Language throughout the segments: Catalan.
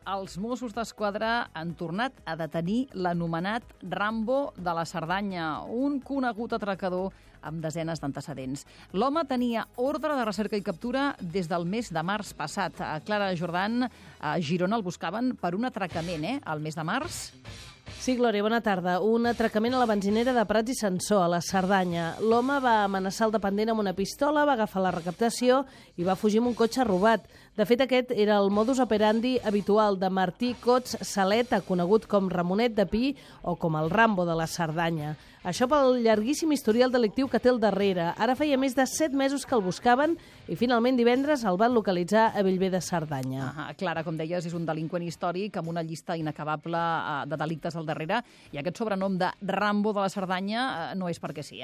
els Mossos d'Esquadra han tornat a detenir l'anomenat Rambo de la Cerdanya, un conegut atracador amb desenes d'antecedents. L'home tenia ordre de recerca i captura des del mes de març passat. A Clara Jordan, a Girona, el buscaven per un atracament, el mes de març. Sí, Glòria, bona tarda. Un atracament a la benzinera de Prats i Sansor, a la Cerdanya. L'home va amenaçar el dependent amb una pistola, va agafar la recaptació i va fugir amb un cotxe robat. De fet, aquest era el modus operandi habitual de Martí Cots Saleta, conegut com Ramonet de Pi o com el Rambo de la Cerdanya. Això pel llarguíssim historial delictiu que té al darrere. Ara feia més de 7 mesos que el buscaven i finalment divendres el van localitzar a Bellver de Cerdanya. Clara, com deies, és un delinqüent històric amb una llista inacabable de delictes al darrere, i aquest sobrenom de Rambo de la Cerdanya no és perquè sí,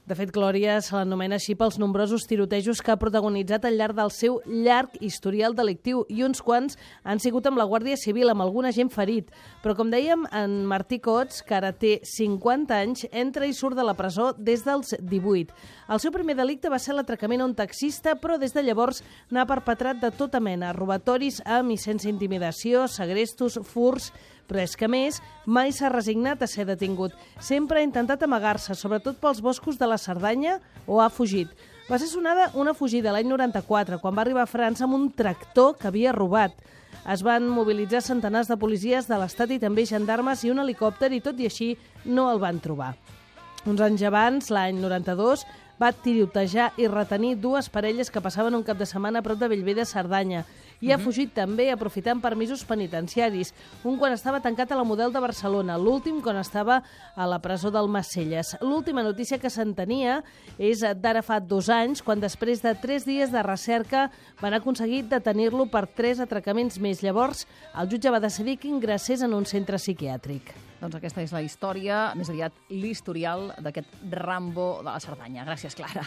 De fet, Glòria se l'anomena així pels nombrosos tirotejos que ha protagonitzat al llarg del seu llarg historial delictiu, i uns quants han sigut amb la Guàrdia Civil, amb algun agent ferit. Però, com dèiem, en Martí Cots, que ara té 50 anys, entra i surt de la presó des dels 18. El seu primer delicte va ser l'atracament a un taxista, però des de llavors n'ha perpetrat de tota mena, robatoris amb i sense intimidació, segrestos, furts. Però és que, a més, mai s'ha resignat a ser detingut. Sempre ha intentat amagar-se, sobretot pels boscos de la Cerdanya, o ha fugit. Va ser sonada una fugida l'any 94, quan va arribar a França amb un tractor que havia robat. Es van mobilitzar centenars de policies de l'Estat i també gendarmes i un helicòpter, i tot i així no el van trobar. Uns anys abans, l'any 92, va tirotejar i retenir 2 parelles que passaven un cap de setmana a prop de Bellver de Cerdanya. I ha fugit també aprofitant permisos penitenciaris, un quan estava tancat a la Model de Barcelona, l'últim quan estava a la presó del Macelles. L'última notícia que se'n tenia és d'ara fa 2 anys, quan després de 3 dies de recerca van aconseguir detenir-lo per 3 atracaments més. Llavors, el jutge va decidir que ingressés en un centre psiquiàtric. Doncs aquesta és la història, més aviat l'historial d'aquest Rambo de la Cerdanya. Gràcies, Clara.